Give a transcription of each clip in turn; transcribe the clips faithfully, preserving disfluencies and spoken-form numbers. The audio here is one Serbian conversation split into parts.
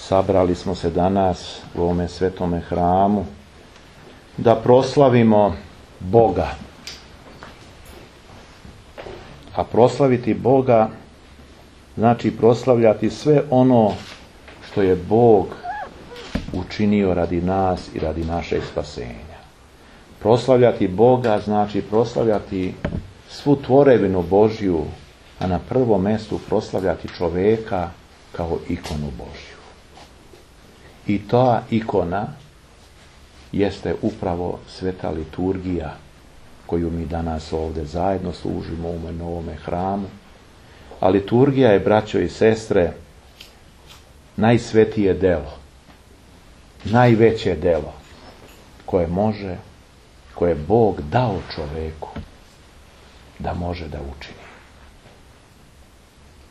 sabrali smo se danas u ovome svetome hramu da proslavimo Boga. A proslaviti Boga znači proslavljati sve ono što je Bog učinio radi nas i radi našeg spasenja. Proslavljati Boga znači proslavljati svu tvorevinu Božju, a na prvom mjestu proslavljati čovjeka kao ikonu Božju. I ta ikona jeste upravo sveta liturgija koju mi danas ovdje zajedno služimo u ovom novome hramu. A liturgija je, braćo i sestre, najsvetije delo, najveće delo koje može, koje je Bog dao čovjeku da može da učini.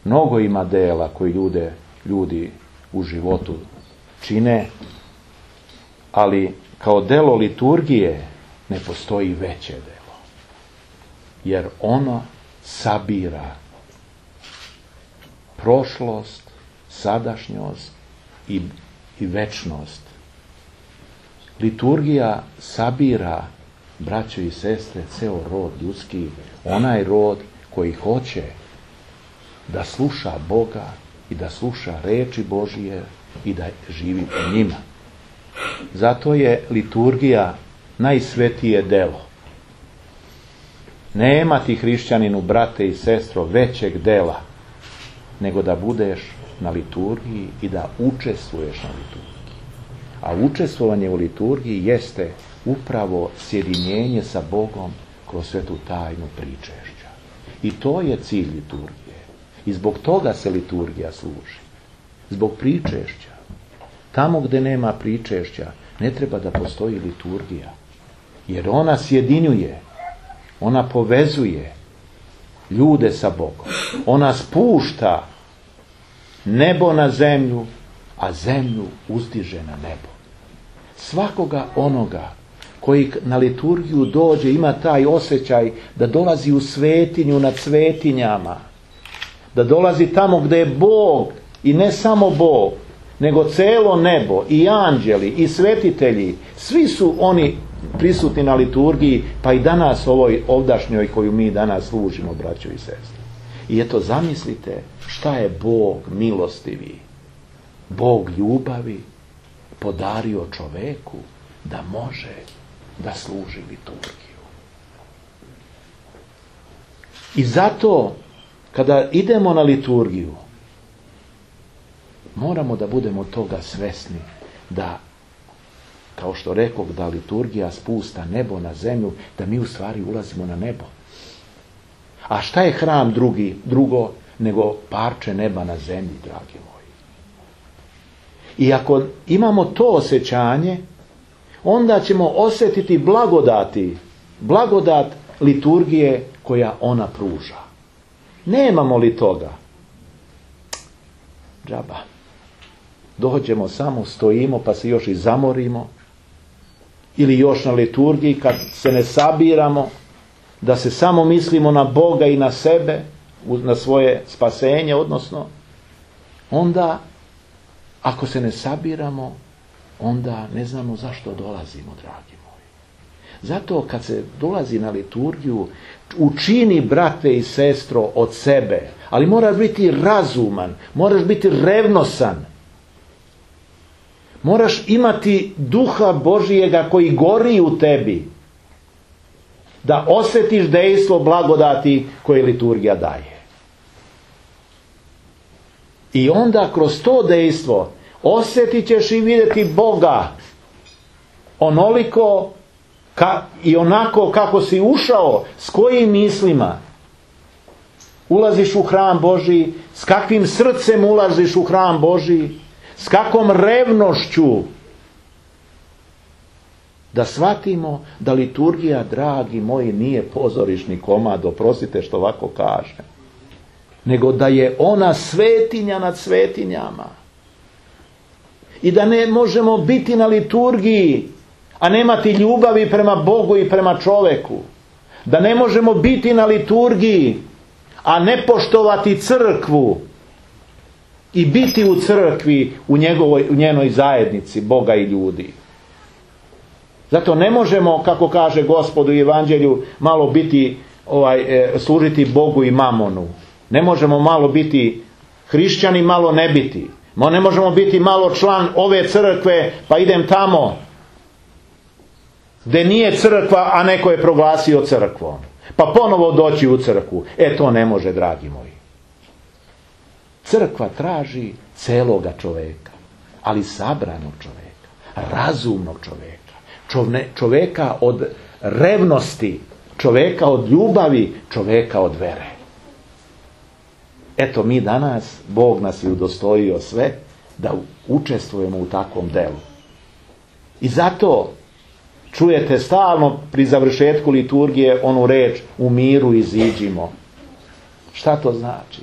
Mnogo ima dela koji ljude, ljudi u životu čine, ali kao delo liturgije ne postoji veće delo. Jer ono sabira prošlost, sadašnjost i, i večnost. Liturgija sabira, braćo i sestre, ceo rod ljudski, onaj rod koji hoće da sluša Boga i da sluša reči Božije i da živi po njima. Zato je liturgija najsvetije delo. Nema ti, hrišćaninu, brate i sestro, većeg dela nego da budeš na liturgiji i da učestvuješ na liturgiji. A učestvovanje u liturgiji jeste upravo sjedinjenje sa Bogom kroz svetu tajnu pričešća. I to je cilj liturgije. I zbog toga se liturgija služi. Zbog pričešća. Tamo gdje nema pričešća ne treba da postoji liturgija. Jer ona sjedinjuje, ona povezuje ljude sa Bogom. Ona spušta nebo na zemlju, a zemlju uzdiže na nebo. Svakoga onoga koji na liturgiju dođe ima taj osjećaj da dolazi u svetinju nad svetinjama. Da dolazi tamo gdje je Bog, i ne samo Bog, nego celo nebo, i anđeli, i svetitelji, svi su oni prisutni na liturgiji, pa i danas ovoj ovdašnjoj koju mi danas služimo, braćo i sestre. I eto, zamislite šta je Bog milostivi, Bog ljubavi podario čoveku da može da služi liturgiju. I zato kada idemo na liturgiju moramo da budemo toga svesni, da, kao što rekoh, da liturgija spusta nebo na zemlju, da mi u stvari ulazimo na nebo. A šta je hram drugi, drugo nego parče neba na zemlji, dragi moji? I ako imamo to osjećanje, onda ćemo osjetiti blagodati, blagodat liturgije koja ona pruža. Nemamo li toga? Džaba. Dođemo samo, stojimo, pa se još i zamorimo. Ili još na liturgiji, kad se ne sabiramo, da se samo mislimo na Boga i na sebe, na svoje spasenje, odnosno, onda, ako se ne sabiramo, onda ne znamo zašto dolazimo, dragi moji. Zato kad se dolazi na liturgiju, učini, brate i sestro, od sebe, ali moraš biti razuman, moraš biti revnosan, moraš imati duha Božijega koji gori u tebi, da osjetiš dejstvo blagodati koje liturgija daje. I onda kroz to dejstvo osjetit ćeš i vidjeti Boga onoliko ka, i onako kako si ušao, s kojim mislima ulaziš u hram Božji, s kakvim srcem ulaziš u hram Božji, s kakvom revnošću, da shvatimo da liturgija, dragi moji, nije pozorišni komad, oprostite što ovako kažem, nego da je ona svetinja nad svetinjama. I da ne možemo biti na liturgiji, a nemati ljubavi prema Bogu i prema čoveku. Da ne možemo biti na liturgiji, a ne poštovati crkvu. i biti u crkvi, u, njegovoj, u njenoj zajednici Boga i ljudi. Zato ne možemo, kako kaže Gospod u Evanđelju, malo biti, ovaj, e, služiti Bogu i mamonu. Ne možemo malo biti hrišćani, malo ne biti. Ne možemo biti malo član ove crkve, pa idem tamo gdje nije crkva, a neko je proglasio crkvom. Pa ponovo doći u crkvu. E, to ne može, dragi moji. Crkva traži celoga čoveka, ali sabranog čoveka, razumnog čoveka, čovne, čoveka od revnosti, čoveka od ljubavi, čoveka od vere. Eto, mi danas, Bog nas je udostojio sve da učestvujemo u takvom delu. I zato čujete stalno pri završetku liturgije onu reč u miru iziđimo. Šta to znači?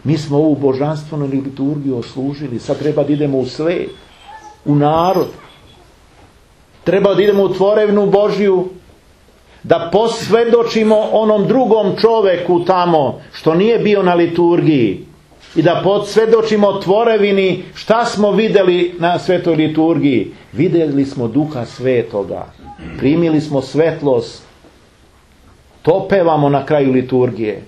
Mi smo ovu božanstvenu liturgiju oslužili, sad treba da idemo u svet, u narod. Treba da idemo u tvorevnu Božju, da posvjedočimo onom drugom čoveku tamo što nije bio na liturgiji i da posvjedočimo tvorevini šta smo vidjeli na svetoj liturgiji. Vidjeli smo Duha Svetoga, primili smo svetlost, to pevamo na kraju liturgije.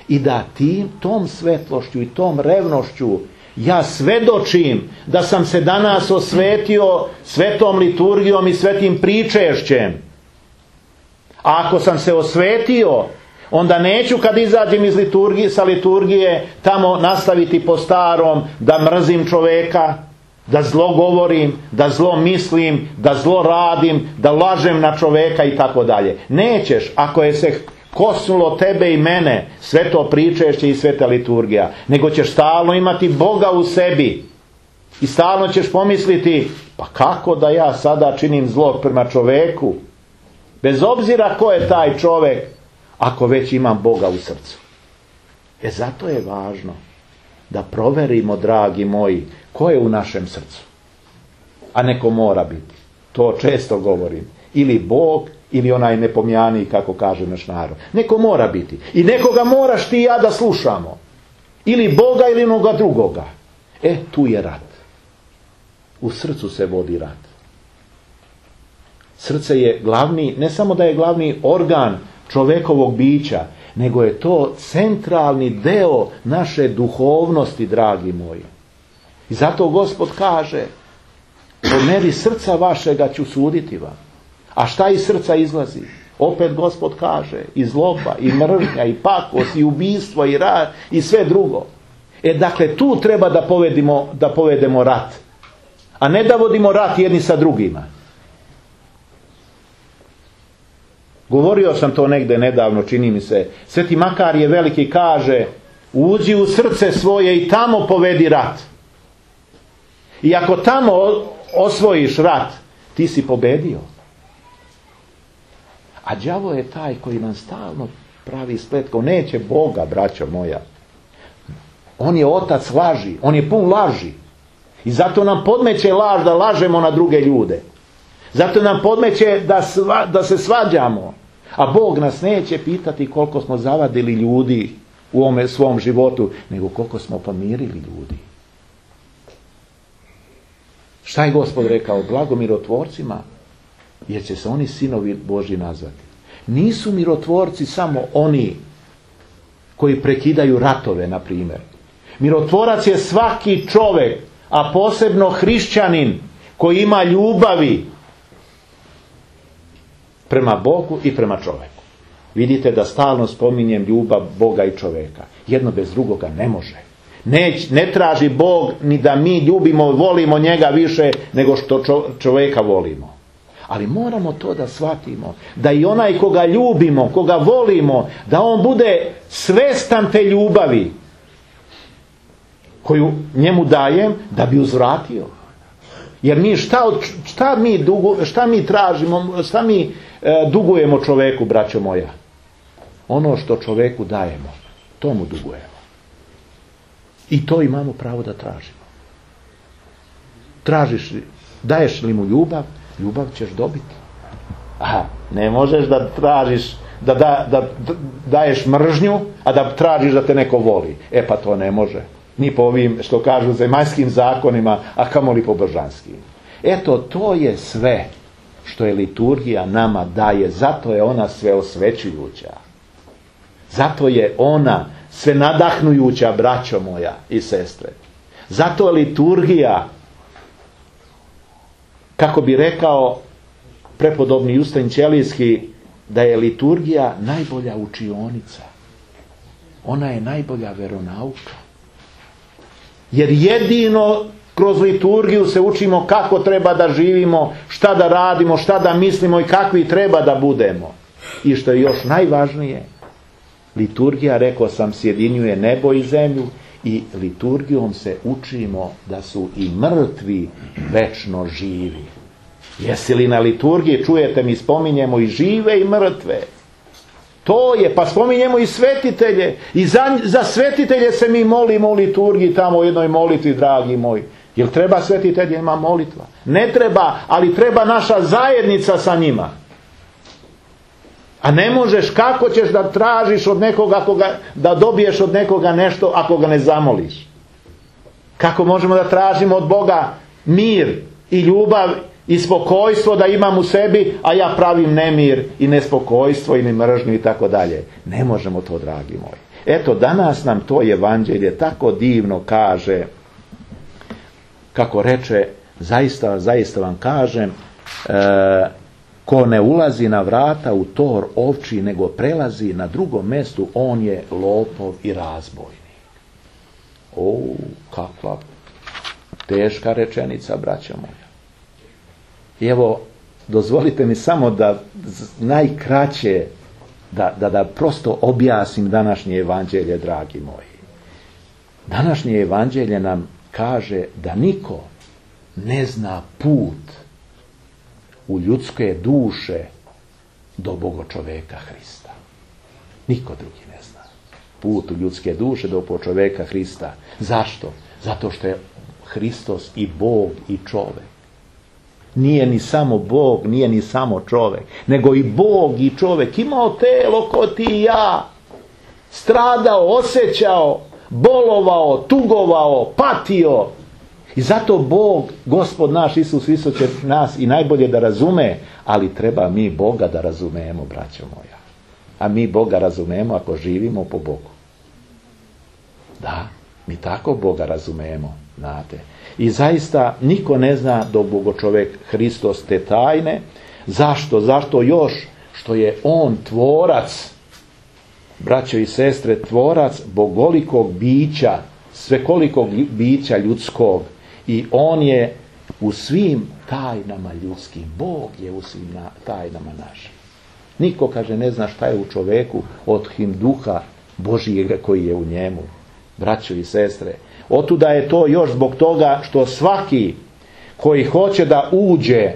I da tim, tom svetlošću i tom revnošću ja svedočim da sam se danas osvetio svetom liturgijom i svetim pričešćem. A ako sam se osvetio, onda neću kad izađem iz liturgije, sa liturgije tamo nastaviti po starom da mrzim čoveka, da zlo govorim, da zlo mislim, da zlo radim, da lažem na čoveka i tako dalje. Nećeš ako je se kosnulo tebe i mene sveto pričešće i sveta liturgija, nego ćeš stalno imati Boga u sebi i stalno ćeš pomisliti, pa kako da ja sada činim zlo prema čoveku, bez obzira ko je taj čovek, ako već imam Boga u srcu. E zato je važno da proverimo, dragi moji, ko je u našem srcu. A neko mora biti. To često govorim. Ili Bog, ili onaj nepomjani, kako kaže naš narod. Neko mora biti. I nekoga moraš ti i ja da slušamo. Ili Boga, ili onoga drugoga. E, tu je rat. U srcu se vodi rat. Srce je glavni, ne samo da je glavni organ čovekovog bića, nego je to centralni deo naše duhovnosti, dragi moji. I zato Gospod kaže, po meri srca vašega ću suditi vam. A šta iz srca izlazi? Opet Gospod kaže, i zloba, i mržnja, i pakost, i ubistvo, i rat, i sve drugo. E dakle, tu treba da povedemo, da povedemo rat. A ne da vodimo rat jedni sa drugima. Govorio sam to negde nedavno, čini mi se. Sveti Makarije Veliki kaže, uđi u srce svoje i tamo povedi rat. I ako tamo osvojiš rat, ti si pobedio. A đavo je taj koji nam stalno pravi spletko. Neće Boga, braćo moja. On je otac laži. On je pun laži. I zato nam podmeće laž da lažemo na druge ljude. Zato nam podmeće da, sva, da se svađamo. A Bog nas neće pitati koliko smo zavadili ljudi u ovome svom životu, nego koliko smo pomirili ljudi. Šta je Gospod rekao? Blago mirotvorcima, jer će se oni sinovi Božji nazvati. Nisu mirotvorci samo oni koji prekidaju ratove, na primjer. Mirotvorac je svaki čovjek, a posebno hrišćanin koji ima ljubavi prema Bogu i prema čovjeku. Vidite da stalno spominjem ljubav Boga i čovjeka. Jedno bez drugoga ne može. Ne, ne traži Bog ni da mi ljubimo, volimo njega više nego što čovjeka volimo. Ali moramo to da shvatimo. Da i onaj koga ljubimo, koga volimo, da on bude svestan te ljubavi koju njemu dajem da bi uzvratio. Jer mi šta, šta, mi, dugu, šta mi tražimo, šta mi e, dugujemo čoveku, braćo moja? Ono što čoveku dajemo, to mu dugujemo. I to imamo pravo da tražimo. Tražiš, daješ li mu ljubav, ljubav ćeš dobiti. Aha, ne možeš da tražiš, da, da, da daješ mržnju, a da tražiš da te neko voli. E pa to ne može. ni po ovim, što kažu, zemaljskim zakonima, a kamoli po božanskim. Eto, to je sve što je liturgija nama daje. Zato je ona sve osvećujuća. Zato je ona sve nadahnujuća, braćo moja i sestre. Zato je liturgija, kako bi rekao prepodobni Justin Ćelijski, da je liturgija najbolja učionica. Ona je najbolja veronauka. Jer jedino kroz liturgiju se učimo kako treba da živimo, šta da radimo, šta da mislimo i kakvi treba da budemo. I što je još najvažnije, liturgija, rekao sam, sjedinjuje nebo i zemlju i liturgijom se učimo da su i mrtvi večno živi. Jesi li na liturgiji, čujete mi, spominjemo i žive i mrtve. To je, pa spominjemo i svetitelje. I za, za svetitelje se mi molimo u liturgiji tamo u jednoj molitvi, dragi moji. Jel treba svetiteljima molitva? Ne treba, ali treba naša zajednica sa njima. A ne možeš, kako ćeš da tražiš od nekoga, ako ga, da dobiješ od nekoga nešto ako ga ne zamoliš? Kako možemo da tražimo od Boga mir i ljubav i spokojstvo da imam u sebi, a ja pravim nemir i nespokojstvo i mržnju i tako dalje? Ne možemo to, dragi moji. Eto, danas nam to evanđelje tako divno kaže, kako reče, zaista, zaista vam kažem, e, ko ne ulazi na vrata u tor ovči, nego prelazi na drugom mjestu, on je lopov i razbojnik. O, kakva teška rečenica, braćo moja. I evo, dozvolite mi samo da najkraće, da, da, da prosto objasnim današnje evanđelje, dragi moji. Današnje evanđelje nam kaže da niko ne zna put u ljudske duše do Bogočoveka Hrista. Niko drugi ne zna put u ljudske duše do Bogočoveka Hrista. Zašto? Zato što je Hristos i Bog i čovek. Nije ni samo Bog, nije ni samo čovek, nego i Bog i čovek. Imao telo ko ti i ja. Stradao, osjećao, bolovao, tugovao, patio. I zato Bog, Gospod naš Isus Hristos, će nas i najbolje da razume, ali treba mi Boga da razumemo, braćo moja. A mi Boga razumemo ako živimo po Bogu. Da, mi tako Boga razumemo, znate. I zaista niko ne zna do Bogočovek Hristos te tajne. Zašto? Zašto još? Što je on tvorac, braćo i sestre, tvorac bogolikog bića, svekolikog bića ljudskog. I on je u svim tajnama ljudskim. Bog je u svim tajnama našim. Niko, kaže, ne zna šta je u čoveku od him duha Božijega koji je u njemu. Braćo i sestre, otuda je to još zbog toga što svaki koji hoće da uđe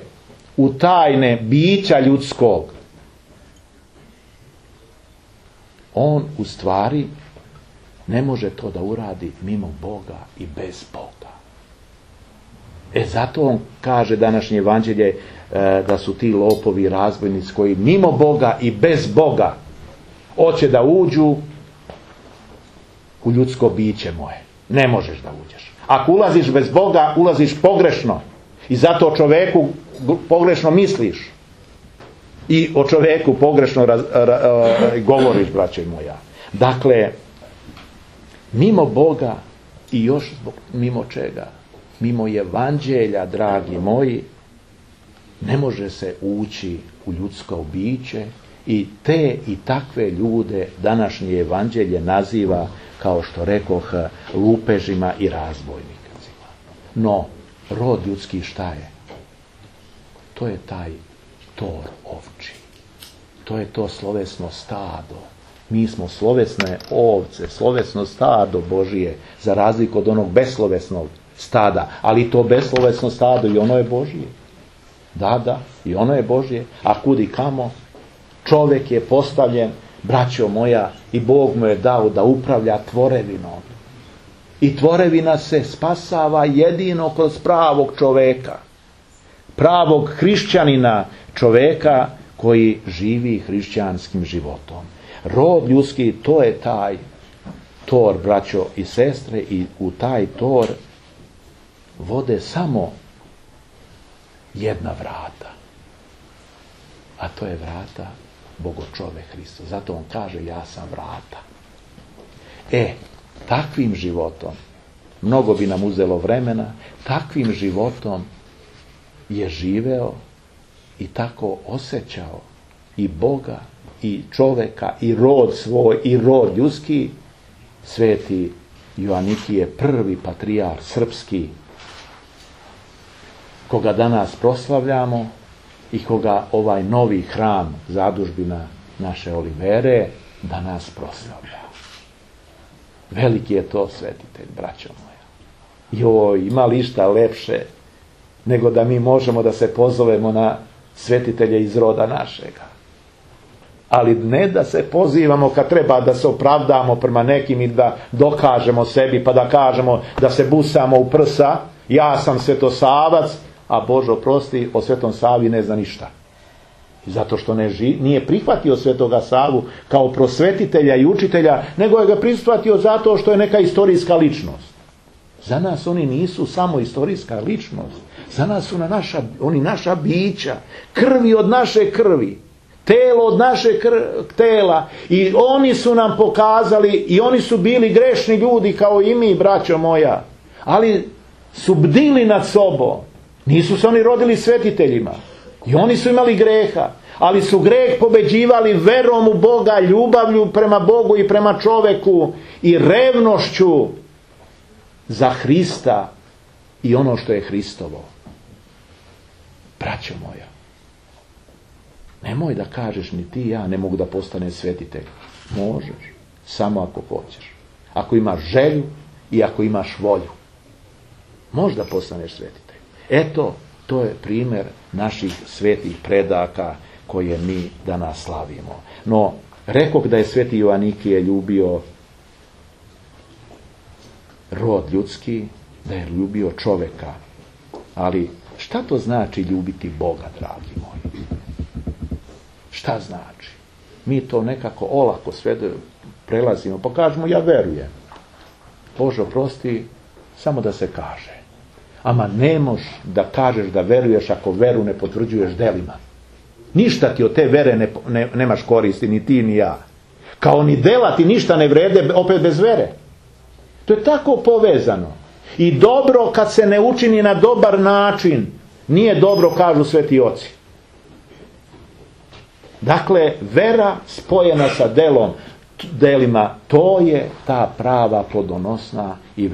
u tajne bića ljudskog, on u stvari ne može to da uradi mimo Boga i bez Boga. E zato on kaže, današnje evanđelje, e, da su ti lopovi i razbojnici koji mimo Boga i bez Boga hoće da uđu u ljudsko biće moje. Ne možeš da uđeš. Ako ulaziš bez Boga, ulaziš pogrešno. I zato o čoveku pogrešno misliš. I o čoveku pogrešno raz, ra, ra, govoriš, braće moja. Dakle, mimo Boga i još zbog, mimo čega? Mimo evanđelja, dragi moji, ne može se ući u ljudsko biće i te i takve ljude današnje evanđelje naziva, kao što rekoh, lupežima i razbojnicima. No, rod ljudski šta je? To je taj tor ovči. To je to slovesno stado. Mi smo slovesne ovce, slovesno stado Božije, za razliku od onog beslovesnog stada. Ali to beslovesno stado i ono je Božije. Da, da, i ono je Božije. A kudi kamo? Čovjek je postavljen, braćo moja, i Bog mu je dao da upravlja tvorevinom. I tvorevina se spasava jedino kroz pravog čoveka. Pravog hrišćanina, čoveka koji živi hrišćanskim životom. Rod ljudski, to je taj tor, braćo i sestre, i u taj tor vode samo jedna vrata. A to je vrata Bogočovek Hristos. Zato on kaže, ja sam vrata. E, takvim životom, mnogo bi nam uzelo vremena, takvim životom je živeo i tako osjećao i Boga, i čoveka, i rod svoj, i rod ljudski, sveti Joanikije, prvi patrijar srpski, koga danas proslavljamo i koga ovaj novi hram, zadužbina naše Olivere, danas proslavlja. Veliki je to svetitelj, braćo moja. Joj, ima li išta lepše nego da mi možemo da se pozovemo na svetitelje iz roda našega. Ali ne da se pozivamo kad treba da se opravdamo prema nekim i da dokažemo sebi, pa da kažemo da se busamo u prsa, ja sam Svetosavac, a Bože oprosti, o Svetom Savi ne zna ništa. Zato što ne ži, nije prihvatio Svetoga Savu kao prosvetitelja i učitelja, nego je ga prihvatio zato što je neka istorijska ličnost. Za nas oni nisu samo istorijska ličnost. Za nas su na naša, oni naša bića, krvi od naše krvi, telo od naše kr- tela. I oni su nam pokazali, i oni su bili grešni ljudi kao i mi, braćo moja. Ali su bdili nad sobom. Nisu se oni rodili svetiteljima. I oni su imali greha. Ali su greh pobeđivali verom u Boga, ljubavlju prema Bogu i prema čoveku i revnošću za Hrista i ono što je Hristovo. Braćo moja, nemoj da kažeš ni ti ja ne mogu da postane svetitelj. Možeš, samo ako hoćeš. Ako imaš želju i ako imaš volju. Možda postaneš svetitelj. Eto, to je primjer naših svetih predaka koje mi danas slavimo. No, rekoh da je sveti Joanikije ljubio rod ljudski, da je ljubio čoveka. Ali šta to znači ljubiti Boga, dragi moji? Šta znači? Mi to nekako olako sve prelazimo, pa kažemo ja verujem. Bože oprosti, samo da se kaže. Ama ne možeš da kažeš da veruješ ako veru ne potvrđuješ delima. Ništa ti od te vere ne, ne, nemaš koristi, ni ti ni ja. Kao ni dela ti ništa ne vrede opet bez vere. To je tako povezano. I dobro kad se ne učini na dobar način, nije dobro, kažu sveti oci. Dakle, vera spojena sa delom, delima, to je ta prava plodonosna i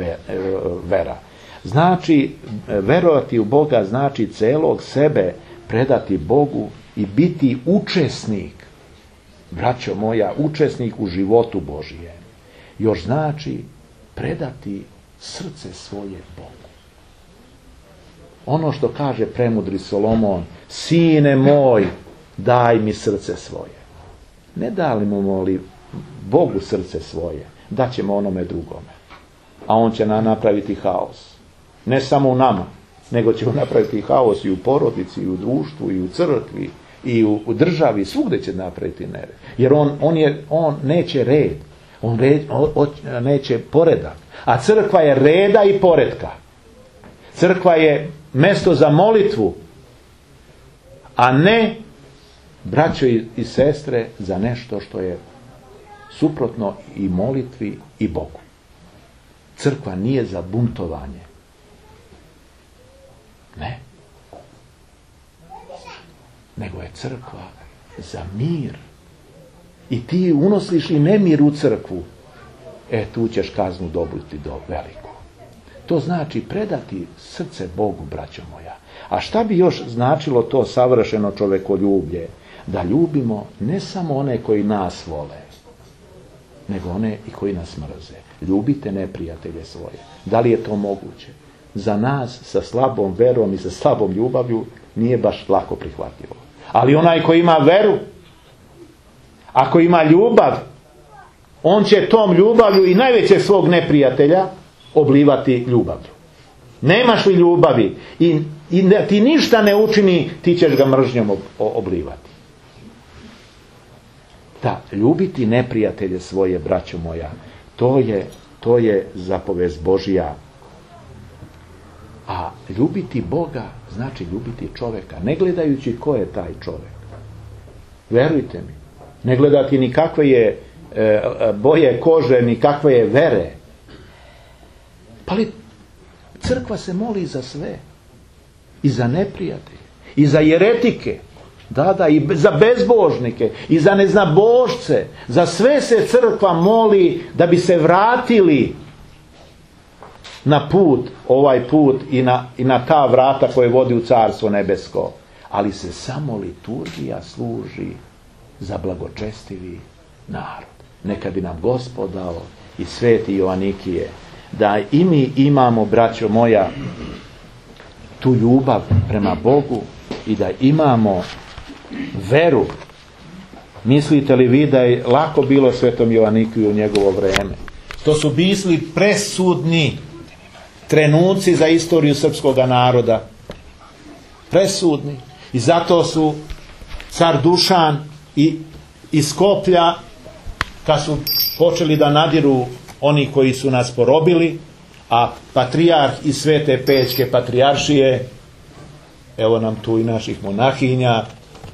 vera. Znači, verovati u Boga znači celog sebe predati Bogu i biti učesnik, braćo moja, učesnik u životu Božijem. Još znači predati srce svoje Bogu. Ono što kaže premudri Solomon, sine moj, daj mi srce svoje. Ne dalimo li Bogu srce svoje, daćemo onome drugome. A on će nam napraviti haos. Ne samo u nama, nego će napraviti haos i u porodici, i u društvu, i u crkvi, i u, u državi, svugdje će napraviti nered. Jer on, on, je, on neće red, on, red, on, on neće poredak. A crkva je reda i poretka. Crkva je mjesto za molitvu, a ne, braćo i, i sestre, za nešto što je suprotno i molitvi i Bogu. Crkva nije za buntovanje. Ne. Nego je crkva za mir. I ti unosiš i nemir u crkvu. E, tu ćeš kaznu dobiti do veliku. To znači predati srce Bogu, braćo moja. A šta bi još značilo to savršeno čovekoljublje? Da ljubimo ne samo one koji nas vole, nego one i koji nas mrze. Ljubite neprijatelje svoje. Da li je to moguće? Za nas sa slabom verom i sa slabom ljubavlju nije baš lako prihvatljivo. Ali onaj koji ima veru, ako ima ljubav, on će tom ljubavlju i najvećeg svog neprijatelja oblivati ljubavlju. Nemaš li ljubavi i, i ne, ti ništa ne učini, ti ćeš ga mržnjom ob, oblivati. Da, ljubiti neprijatelje svoje, braćo moja, To je, to je zapovest Božja. A ljubiti Boga znači ljubiti čovjeka, ne gledajući ko je taj čovjek. Verujte mi, ne gledati ni kakve je e, boje kože, ni kakve je vere. Pa li crkva se moli za sve. I za neprijatelje, i za jeretike, da, da, i za bezbožnike, i za neznabožce. Za sve se crkva moli da bi se vratili na put, ovaj put i na, i na ta vrata koje vodi u Carstvo nebesko. Ali se samo liturgija služi za blagočestivi narod. Neka bi nam Gospod dao i sveti Joanikije da i mi imamo, braćo moja, tu ljubav prema Bogu i da imamo veru. Mislite li vi da je lako bilo svetom Joanikiju u njegovo vrijeme? To su bili presudni trenuci za istoriju srpskog naroda. Presudni. I zato su car Dušan i iz Skoplja, kad su počeli da nadiru oni koji su nas porobili, a patrijarh iz Svete Pećke patrijaršije, evo nam tu i naših monahinja,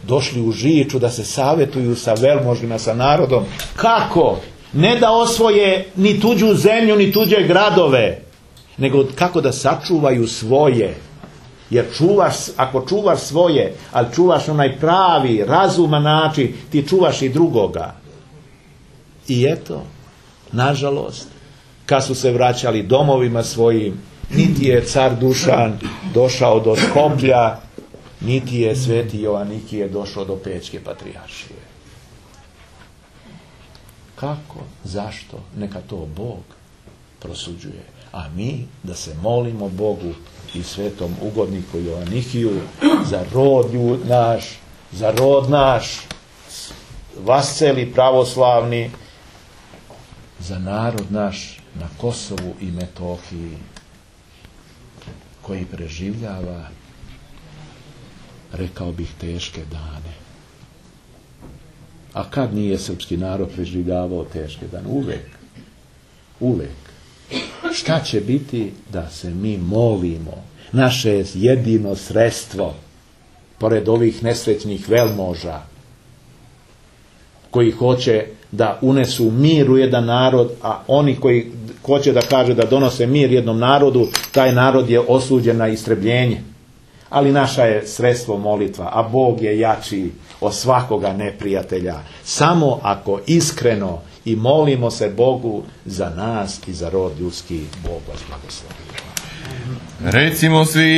došli u Žiču da se savjetuju sa velmožima, sa narodom. Kako? Ne da osvoje ni tuđu zemlju, ni tuđe gradove, nego kako da sačuvaju svoje. Jer čuvaš, ako čuvaš svoje, ali čuvaš onaj pravi, razuman način, ti čuvaš i drugoga. I eto, nažalost, kad su se vraćali domovima svojim, niti je car Dušan došao do Skoplja, niti je sveti Joanikije došao do Pećke patrijaršije. Kako? Zašto? Neka to Bog prosuđuje. A mi da se molimo Bogu i svetom ugodniku Joanikiju za rod naš, za rod naš, vasceli pravoslavni, za narod naš na Kosovu i Metohiji, koji preživljava, rekao bih, teške dane. A kad nije srpski narod preživljavao teške dane? Uvek. Uvek. Šta će biti da se mi molimo? Naše jedino sredstvo, pored ovih nesrećnih velmoža, koji hoće da unesu mir u jedan narod, a oni koji hoće da kaže da donose mir jednom narodu, taj narod je osuđen na istrebljenje. Ali naša je sredstvo molitva, a Bog je jači od svakoga neprijatelja. Samo ako iskreno i molimo se Bogu za nas i za rod ljudski, Bog vas blagoslovi. Recimo svi